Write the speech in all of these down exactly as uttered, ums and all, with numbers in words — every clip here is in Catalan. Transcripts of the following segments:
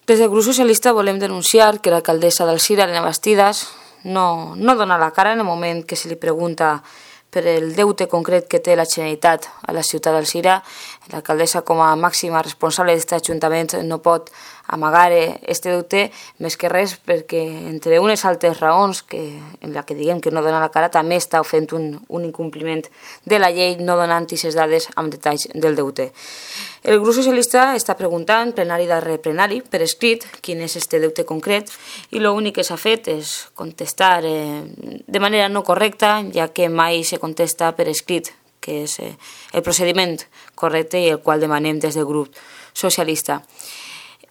Des del grup socialista volem denunciar que l'alcaldessa d'Alzira, Elena Bastidas, no, no dona la cara en el moment que se li pregunta per el deute concret que té la Generalitat a la ciutat d'Alzira. L'alcaldessa, com a màxima responsable d'aquest ajuntament, no pot amagar aquest deute més que res perquè, entre unes altres raons que, en la que diguem que no dona la cara, també està fent un, un incompliment de la llei no donant aquestes dades amb detalls del deute. El grup socialista està preguntant, plenari darrere plenari, per escrit, quin és aquest deute concret, i l'únic que s'ha fet és contestar eh, de manera no correcta, ja que mai se contesta per escrit, que és eh, el procediment correcte i el qual demanem des del grup socialista.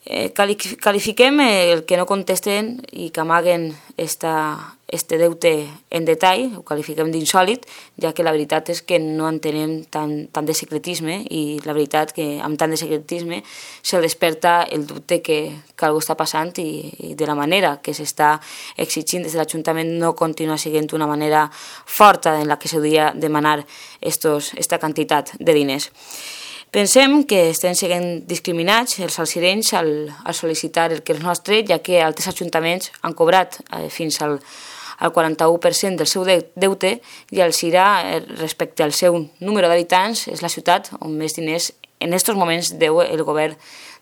Eh, qualifiquem el que no contesten i que amaguen este deute en detall, ho qualifiquem d'insòlit, ja que la veritat és que no entenem tant, tant de secretisme i la veritat que amb tant de secretisme se desperta el dubte que, que algú està passant i, i de la manera que s'està exigint des de l'Ajuntament no continua sent una manera forta en la que s'hauria de demanar aquesta quantitat de diners. Pensem que estem sent discriminats els alzirenys al, al sol·licitar el que és nostre, ja que altres ajuntaments han cobrat eh, fins al, al quaranta-u per cent del seu deute i Alzira, eh, respecte al seu número d'habitants, és la ciutat on més diners en aquests moments deu el govern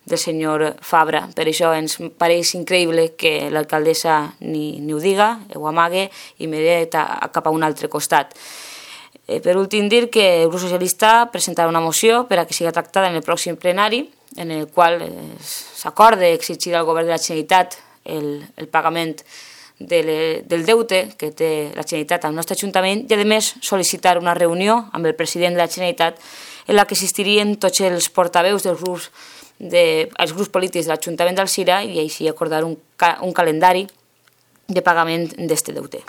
del senyor Fabra. Per això ens pareix increïble que l'alcaldessa ni, ni ho diga, ho amague i mire cap a un altre costat. Per últim, dir que el grup socialista presentarà una moció per a que sigui tractada en el pròxim plenari, en el qual s'acorda exigir al govern de la Generalitat el, el pagament de le, del deute que té la Generalitat al nostre Ajuntament i, a més, sol·licitar una reunió amb el president de la Generalitat en la que assistirien tots els portaveus dels grups, de, els grups polítics de l'Ajuntament d'Alzira i així acordar un, un calendari de pagament d'aquest deute.